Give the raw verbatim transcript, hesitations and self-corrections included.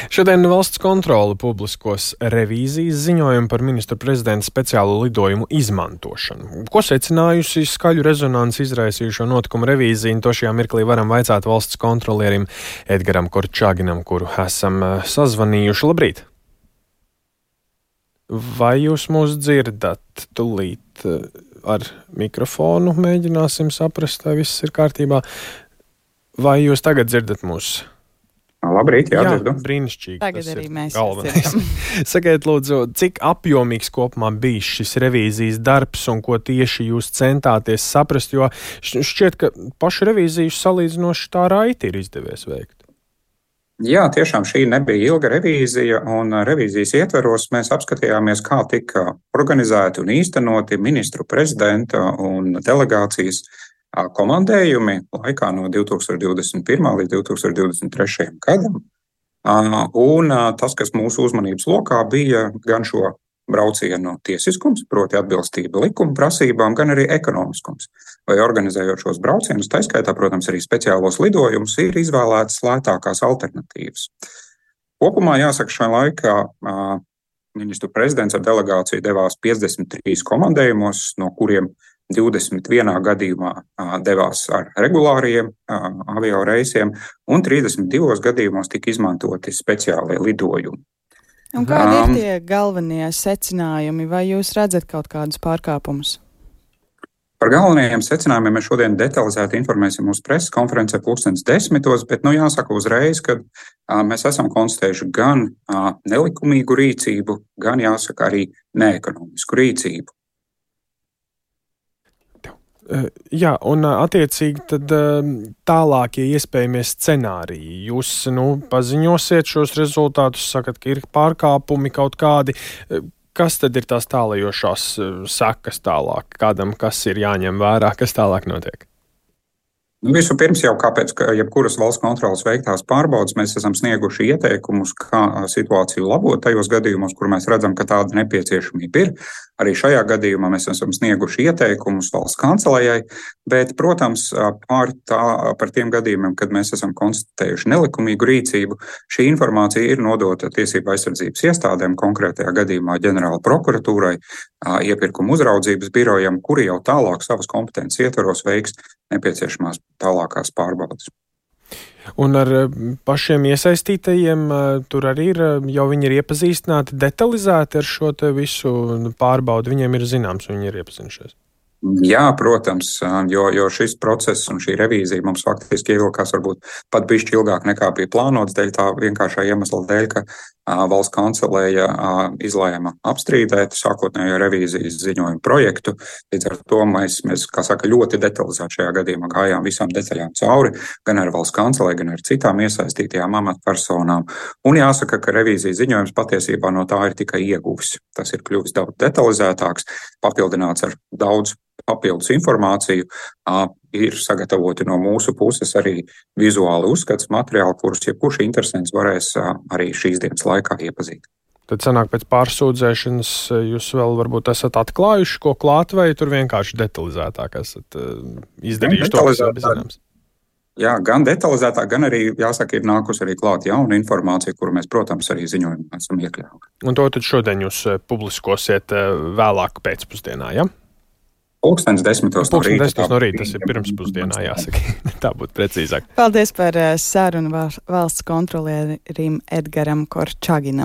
Šodien valsts kontrole publiskos revīzijas ziņojumu par ministru prezidenta speciālo lidojumu izmantošanu. Ko secinājusi skaļu rezonanci izraisījušo notikumu revīziju, to šajā mirklī varam vaicāt valsts kontrolierim Edgaram Korčaginam, kuru esam sazvanījuši. Labrīt! Vai jūs mūs dzirdat? Tūlīt ar mikrofonu mēģināsim saprast, vai viss ir kārtībā. Vai jūs tagad dzirdat mūs? Labrīt, jā, jā dzirdu. Brīnišķīgi. Tagad arī mēs galvenais. Sakiet, lūdzu, cik apjomīgs kopumā bija šis revīzijas darbs un ko tieši jūs centāties saprast, jo šķiet, ka pašu revīziju salīdzinoši tā raiti ir izdevies veikt. Jā, tiešām šī nebija ilga revīzija, un revīzijas ietveros mēs apskatījāmies, kā tika organizēti un īstenoti ministru prezidenta un delegācijas komandējumi laikā no divi tūkstoši divdesmit pirmā līdz divi tūkstoši divdesmit trešajam gadam. Un tas, kas mūsu uzmanības lokā bija gan šo braucienu tiesiskums, proti atbilstība likuma prasībām, gan arī ekonomiskums. Vai organizējot šos braucienus, tā skaitā, protams, arī speciālos lidojumus, ir izvēlētas lētākās alternatīvas. Kopumā jāsaka, šajā laikā ministru prezidents ar delegāciju devās piecdesmit trīs komandējumos, no kuriem divdesmit vienā gadījumā devās ar regulāriem avio reisiem, un trīsdesmit divos gadījumos tika izmantoti speciālie lidojumi. Un kādi ir tie galvenie secinājumi, vai jūs redzat kaut kādus pārkāpumus? Par galvenajiem secinājumiem mēs šodien detalizēti informēsim mūsu preses konferencē pulkstens desmitos, bet nu jāsaka uzreiz, ka a, mēs esam konstatējuši gan a, nelikumīgu rīcību, gan jāsaka arī neekonomisku rīcību. Jā, un attiecīgi tad tālākie iespējamie scenāriji. Jūs, nu, paziņosiet šos rezultātus, sakat, ka ir pārkāpumi kaut kādi. Kas tad ir tās tālajošās sekas tālāk? Kādam, kas ir jāņem vērā, kas tālāk notiek? Nu, vispirms jau kāpēc, ka jebkuras valsts kontrolas veiktās pārbaudas mēs esam snieguši ieteikumus, kā situāciju labot tajos gadījumos, kur mēs redzam, ka tāda nepieciešamība ir. Arī šajā gadījumā mēs esam snieguši ieteikumus valsts kancelējai, bet, protams, pār tā, par tiem gadījumiem, kad mēs esam konstatējuši nelikumīgu rīcību, šī informācija ir nodota tiesību aizsardzības iestādēm, konkrētajā gadījumā ģenerāla prokuratūrai, iepirkuma uzraudzības birojam, kuri jau tālāk savas kompetences ietvaros veiks nepieciešamās tālākās pārbaudas. Un ar pašiem iesaistītajiem tur arī ir, jau viņi ir iepazīstināti detalizēti ar šo te visu pārbaudu, viņiem ir zināms, viņi ir iepazinušies. Jā, protams, jo, jo šis process un šī revīzija mums faktiski ievilkās varbūt pat bišķi ilgāk nekā bija plānots, dēļ tā vienkāršā iemesla dēļ, ka a, valsts kancelēja a, izlēma apstrīdēt sākotnējo revīzijas ziņojumu projektu. Līdz ar to mēs, mēs, kā saka, ļoti detalizēti šajā gadījumā gājām visām detaļām cauri, gan ar valsts kancelēju, gan ar citām iesaistītajām amatpersonām. Un jāsaka, ka revīzijas ziņojums patiesībā no tā ir tikai ieguvis. Tas ir kļuvis daudz detalizētāks, papildināts ar daudz papildus informāciju, ir sagatavoti no mūsu puses arī vizuāli uzskats materiāli, kurus jebkurš interesants varēs arī šīs dienas laikā iepazīt. Tad sanāk pēc pārsūdzēšanas jūs vēl varbūt esat atklājuši, ko klāt, vai tur vienkārši detalizētāk esat izdarījuši to, kas ir zināms? Jā, gan detalizētāk, gan arī, jāsaka, ir nākus arī klāt jauna informācija, kuru mēs, protams, arī ziņojumā esam iekļāvuši. Un to tad šodien jūs publiskosiet vēlāk pēcpusdienā, ja? Pulkstens desmitos no rīta. Pulkstens no rīta, tas ir pirmspusdienā, jāsaka. Tā būtu precīzāk. Paldies par sarunu valsts kontrolierim Edgaram Korčaginam.